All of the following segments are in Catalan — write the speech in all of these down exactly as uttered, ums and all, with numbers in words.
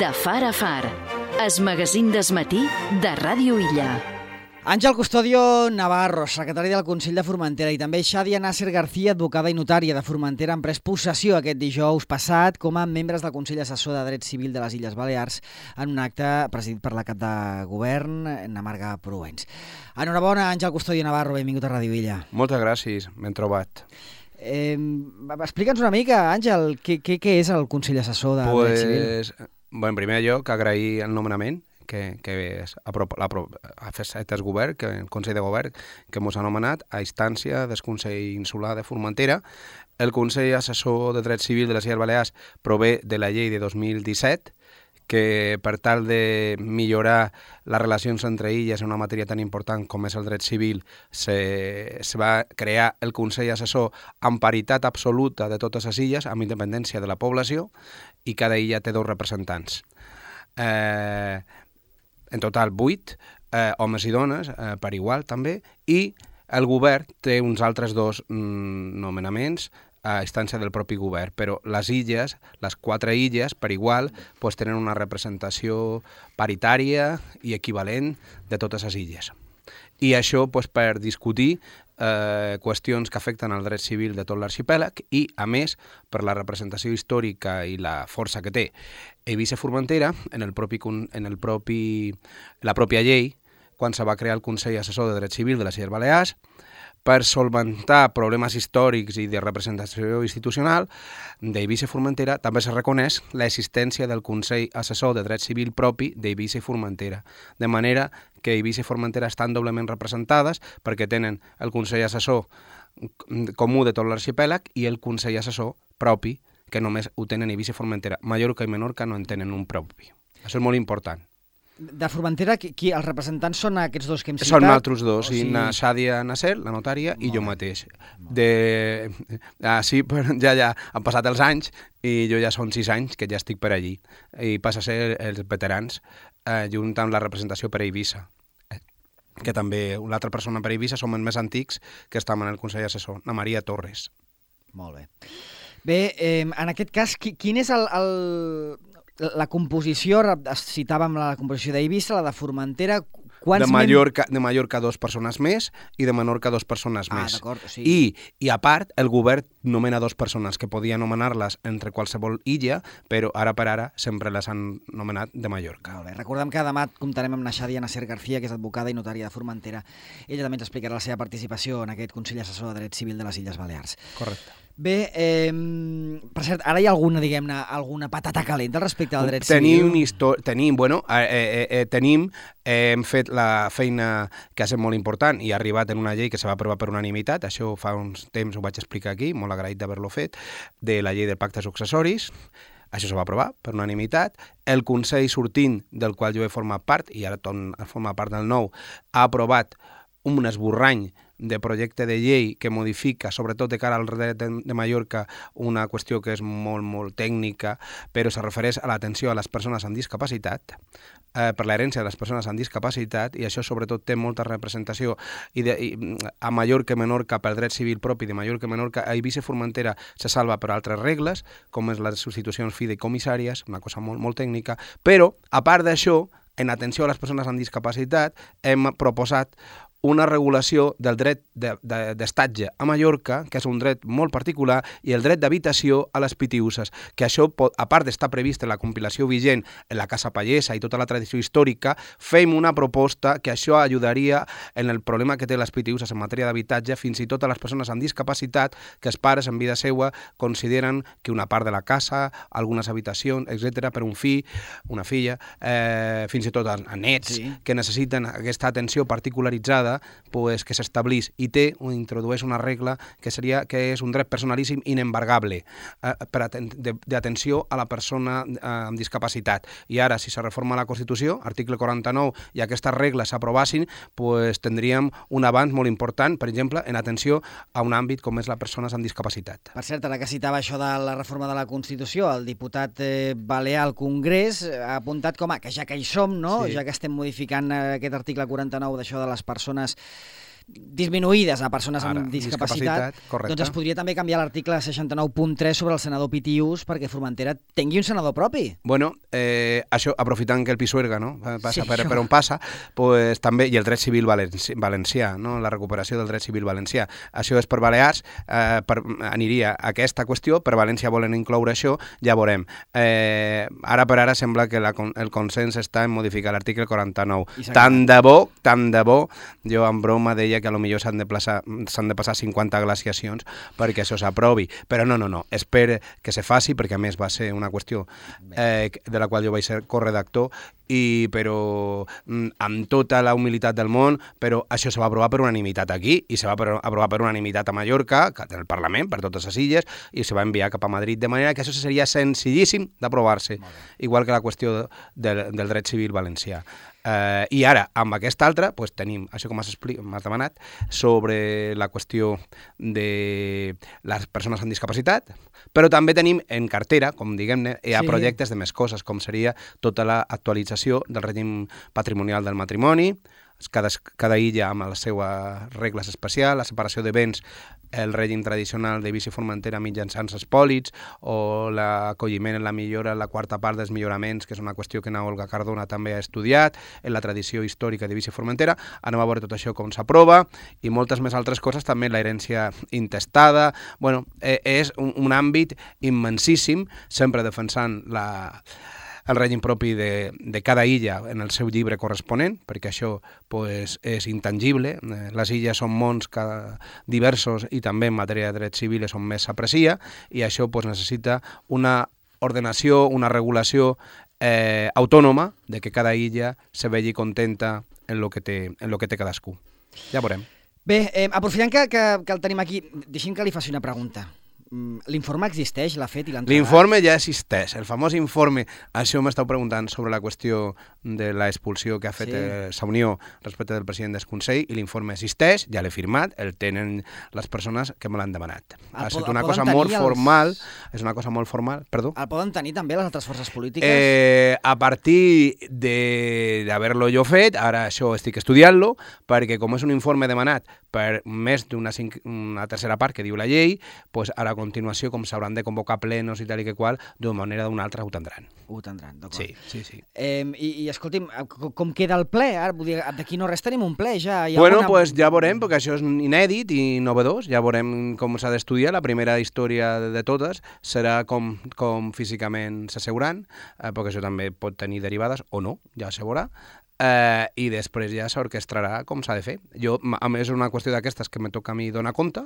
De far a far, es magazín d'esmatí de Ràdio Illa. Àngel Custodio Navarro, secretari del Consell de Formentera, i també Xadia Nasser García, advocada i notària de Formentera, han pres possessió aquest dijous passat com a membres del Consell Assessor de Dret Civil de les Illes Balears en un acte presidit per la cap de govern, Namarga Proens. Enhorabona, Àngel Custodio Navarro, benvingut a Ràdio Illa. Moltes gràcies, ben trobat. Eh, Explica'ns una mica, Àngel, què, què, què és el Consell Assessor de pues, Dret Civil? Bueno, en primer lloc, agrair el nomenament que, que és, ha, ha fet el govern, que el Consell de Govern, que ens ha nomenat a instància del Consell Insular de Formentera. El Consell Assessor de Dret Civil de les Illes Balears prové de la llei de dos mil disset, que per tal de millorar les relacions entre illes en una matèria tan important com és el dret civil, se, se va crear el Consell Assessor amb paritat absoluta de totes les illes, amb independència de la població, i cada illa té dos representants. Eh, en total, vuit, eh, homes i dones, eh, per igual també, i el govern té uns altres dos mm, nomenaments a instància del propi govern, però les illes, les quatre illes, per igual, pues, tenen una representació paritària i equivalent de totes les illes. I això pues, per discutir eh, qüestions que afecten al dret civil de tot l'arxipèlag i, a més, per la representació històrica i la força que té Eivissa Formentera en, el propi, en el propi, la pròpia llei, quan se va crear el Consell Assessor de Dret Civil de les Illes Balears, per solventar problemes històrics i de representació institucional d'Eivissa Formentera, també se reconeix l'existència del Consell Assessor de Dret Civil propi d'Eivissa Formentera, de manera que Eivissa i Formentera estan doblement representades perquè tenen el Consell Assessor comú de tot l'arxipèlag i el Consell Assessor propi, que només ho tenen Eivissa i Formentera. Mallorca i Menorca no en tenen un propi. Això és molt important. De Formentera, qui, qui, els representants són aquests dos que hem citat? Són altres dos, o sigui... na Xadia Nasser, la notària, i jo mateix. De... Ah, sí, però ja, ja han passat els anys i jo ja són sis anys que ja estic per allí. I passa a ser els veterans, eh, junt amb la representació per Eivissa, que també l'altra persona per Eivissa som els més antics que estem en el Consell Assessor, la Maria Torres. Molt bé. Bé, eh, en aquest cas, qui, quin és el... el... La composició, citàvem la composició d'Eivissa, la de Formentera... De Mallorca, de Mallorca dos persones més i de Menorca dos persones ah, més. O sigui... I, I a part, el govern nomena dos persones que podia nomenar-les entre qualsevol illa, però ara per ara sempre les han nomenat de Mallorca. Molt bé. Recordem que demà comptarem amb Xadia Nasser García, que és advocada i notària de Formentera. Ella també ens explicarà la seva participació en aquest Consell Assessor de Dret Civil de les Illes Balears. Correcte. Bé, eh, per cert, ara hi ha alguna, diguem-ne, alguna patata calenta respecte al dret tenim civil? Tenim, bueno, eh, eh, eh, tenim, eh, hem fet la feina que ha estat molt important i ha arribat en una llei que se va aprovar per unanimitat, això fa uns temps ho vaig explicar aquí, molt agraït d'haver-lo fet, de la llei de pactes successoris. Això se va aprovar per unanimitat. El Consell sortint, del qual jo he format part, i ara torno a formar part del nou, ha aprovat un esborrany de projecte de llei que modifica, sobretot de cara al dret de Mallorca, una qüestió que és molt, molt tècnica, però se refereix a l'atenció a les persones amb discapacitat, eh, per l'herència de les persones amb discapacitat, i això sobretot té molta representació i de, i, a Mallorca i Menorca per dret civil propi de Mallorca i Menorca. A Eivissa i Formentera se salva per altres regles, com és les substitucions fideïcomissàries, una cosa molt, molt tècnica, però, a part d'això, en atenció a les persones amb discapacitat, hem proposat una regulació del dret d'estatge de, de, a Mallorca, que és un dret molt particular, i el dret d'habitació a les pitiüses, que això, pot, a part d'estar previst en la compilació vigent en la Casa Pallesa i tota la tradició històrica, fem una proposta que això ajudaria en el problema que té les pitiüses en matèria d'habitatge, fins i tot a les persones amb discapacitat, que els pares en vida seva consideren que una part de la casa, algunes habitacions, etcètera, per un fill, una filla, eh, fins i tot a, a nets, sí, que necessiten aquesta atenció particularitzada, pues, que s'establís i té o introdueix una regla que seria que és un dret personalíssim inembargable eh, per aten d'atenció a la persona eh, amb discapacitat. I ara, si se reforma la Constitució, article quaranta-nou, i aquestes regles s'aprovassin, pues, tindríem un avanç molt important, per exemple, en atenció a un àmbit com és les persones amb discapacitat. Per cert, ara que citava això de la reforma de la Constitució, el diputat eh, balear al Congrés ha apuntat com a que ja que hi som, no? Sí. Ja que estem modificant eh, aquest article quaranta-nou d'això de les persones disminuïdes a persones Ara, amb discapacitat, discapacitat, doncs es podria també canviar l'article seixanta-nou punt tres sobre el senador Pitius perquè Formentera tingui un senador propi. Bueno, eh, això, aprofitant que el Pisuerga no, passa Sí, per, això. per on passa, pues, també, i el dret civil valenci, valencià, no? La recuperació del dret civil valencià. Això és per Balears, eh, per, aniria a aquesta qüestió, per València volen incloure això, ja veurem. Eh, ara per ara sembla que la, el consens està en modificar l'article quaranta-nou. Tant de bo, tant de bo, jo en broma deia que a lo millor s'han de, s'han de passar cinquanta glaciacions perquè això s'aprovi, però no, no, no, espero que se faci, perquè a més va ser una qüestió eh, de la qual jo vaig ser corredactor, i però amb tota la humilitat del món, però això se va aprovar per unanimitat aquí, i se va aprovar per unanimitat a Mallorca, del Parlament, per totes les illes, i se va enviar cap a Madrid, de manera que això seria senzillíssim d'aprovar-se, igual que la qüestió del, del dret civil valencià. Uh, I ara, amb aquesta altra, pues, tenim això que m'has demanat sobre la qüestió de les persones amb discapacitat, però també tenim en cartera, com diguem-ne, hi ha sí. projectes de més coses, com seria tota l'actualització del règim patrimonial del matrimoni, cada, cada illa amb les seues regles especials, la separació de béns, el règim tradicional de Eivissa i Formentera mitjançant espòlits, o l'acolliment en la millora, la quarta part dels milloraments, que és una qüestió que na Olga Cardona també ha estudiat, en la tradició històrica d'Eivissa i Formentera. Anem a veure tot això com s'aprova, i moltes més altres coses, també la herència intestada. Bueno, eh, és un, un àmbit immensíssim, sempre defensant la... el règim propi de, de cada illa en el seu llibre corresponent, perquè això pues, és intangible. Les illes són mons cada, diversos i també en matèria de dret civil és on més s'aprecia, i això pues, necessita una ordenació, una regulació eh, autònoma de que cada illa se vegi contenta en lo que té, en lo que té cadascú. Ja veurem. Bé, eh, aprofitant que, que, que el tenim aquí, deixem que li faci una pregunta. L'informe existeix, l'ha fet i l'ha entregat? L'informe ja existeix, el famós informe. Això m'estàu preguntant sobre la qüestió de l'expulsió que ha fet sí. eh, la Unió respecte del president del Consell, i l'informe existeix, ja l'he firmat, el tenen les persones que me l'han demanat. El ha estat una cosa molt els... formal, és una cosa molt formal, perdó. El poden tenir també les altres forces polítiques? Eh, a partir d'haver-lo jo fet, ara això estic estudiant-lo, perquè com és un informe demanat per més d'una una tercera part que diu la llei, doncs ara a continuació, com s'hauran de convocar plenos i tal i que qual, d'una manera o d'una altra ho tindran. Ho tindran, d'acord. Sí, sí, sí. Eh, i, I escolti'm, com queda el ple? Ara, d'aquí no res tenim un ple, ja. Hi ha bueno, una... pues ja veurem, perquè això és inèdit i novedós, ja veurem com s'ha d'estudiar. La primera història de totes serà com, com físicament s'asseuran, eh, perquè això també pot tenir derivades, o no, ja se veurà. Uh, i després ja s'orquestrarà com s'ha de fer. Jo, a més, és una qüestió d'aquestes que me toca a mi donar compte,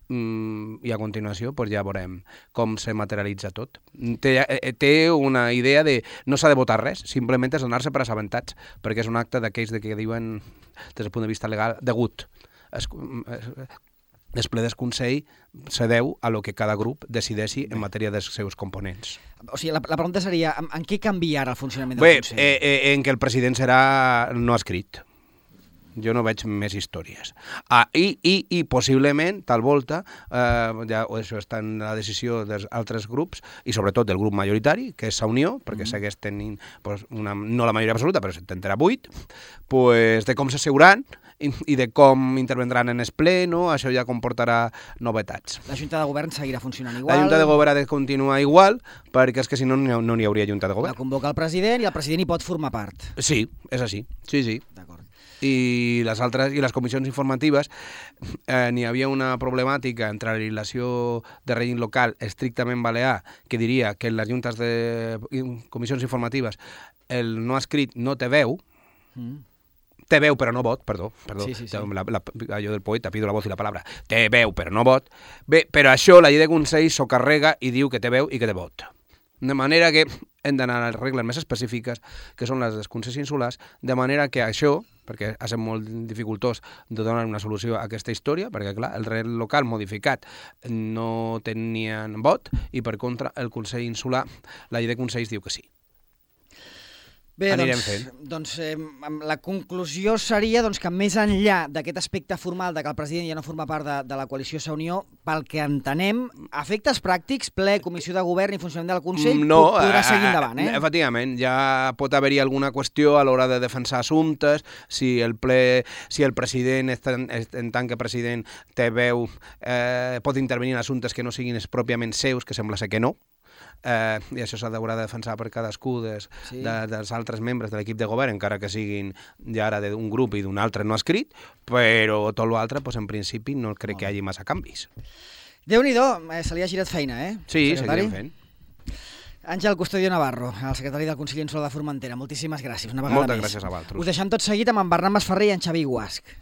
um, i a continuació pues, ja veurem com se materialitza tot. Té, eh, té una idea de no s'ha de votar res, simplement és donar-se per assabentats, perquè és un acte d'aquells de que diuen, des del punt de vista legal, degut. Es, es, el ple del Consell se deu a lo que cada grup decideixi en matèria dels seus components. O sigui, la, la pregunta seria, en, en què canvia ara el funcionament del Bé, Consell? Eh, eh, en què el president serà no escrit. Jo no veig més històries. Ah, i, i, I possiblement, tal volta, eh, ja, això està en la decisió dels altres grups, i sobretot del grup majoritari, que és la Unió, perquè mm. segueix tenint, pues, una, no la majoria absoluta, però s'intentarà vuit, pues, de com s'asseuran, i, i de com intervendran en el ple, no? Això ja comportarà novetats. La Junta de Govern seguirà funcionant igual? La Junta de Govern ha de continuar igual, perquè és que si no, no n'hi hauria Junta de Govern. La convoca el president i el president hi pot formar part. Sí, és així, sí, sí. D'acord. I les altres, i les comissions informatives, eh, n'hi havia una problemàtica entre la legislació de règim local estrictament balear, que diria que en les juntes de comissions informatives el no escrit no té veu, mm. té veu però no vot, perdó, perdó, sí, sí, sí. La, la, allò del poeta, pido la voz i la palabra, té veu però no vot. Bé, però això la llei de Consell s'ho carrega i diu que té veu i que té vot. De manera que hem d'anar a les regles més específiques, que són les dels consells insulars, de manera que això, perquè ha estat molt dificultós de donar una solució a aquesta història, perquè clar, el rei local modificat no tenien vot, i per contra el Consell Insular, la llei de Consells diu que sí. Bé, anirem doncs, fent. doncs eh, la conclusió seria doncs, que més enllà d'aquest aspecte formal de que el president ja no forma part de, de la coalició Sa Unió, pel que entenem, efectes pràctics, ple, comissió de govern i funcionament del Consell, no, podrà seguir endavant, eh? Efectivament, ja pot haver-hi alguna qüestió a l'hora de defensar assumptes, si el ple, si el president, en tant que president, té veu, eh, pot intervenir en assumptes que no siguin pròpiament seus, que sembla ser que no, Eh, i això s'haurà de defensar per cadascú des, sí. de, dels altres membres de l'equip de govern, encara que siguin ja ara d'un grup i d'un altre no escrit, però tot l'altre, doncs, en principi, no crec oh. que hi hagi massa canvis. Déu-n'hi-do, eh, se li ha girat feina, eh? Sí, seguirem fent. Àngel Custodio Navarro, el secretari del Consell Insular de Formentera, moltíssimes gràcies una vegada Moltes més. gràcies a vosaltres. Us deixem tot seguit amb en Bernat Masferrer i en Xavi Guasc.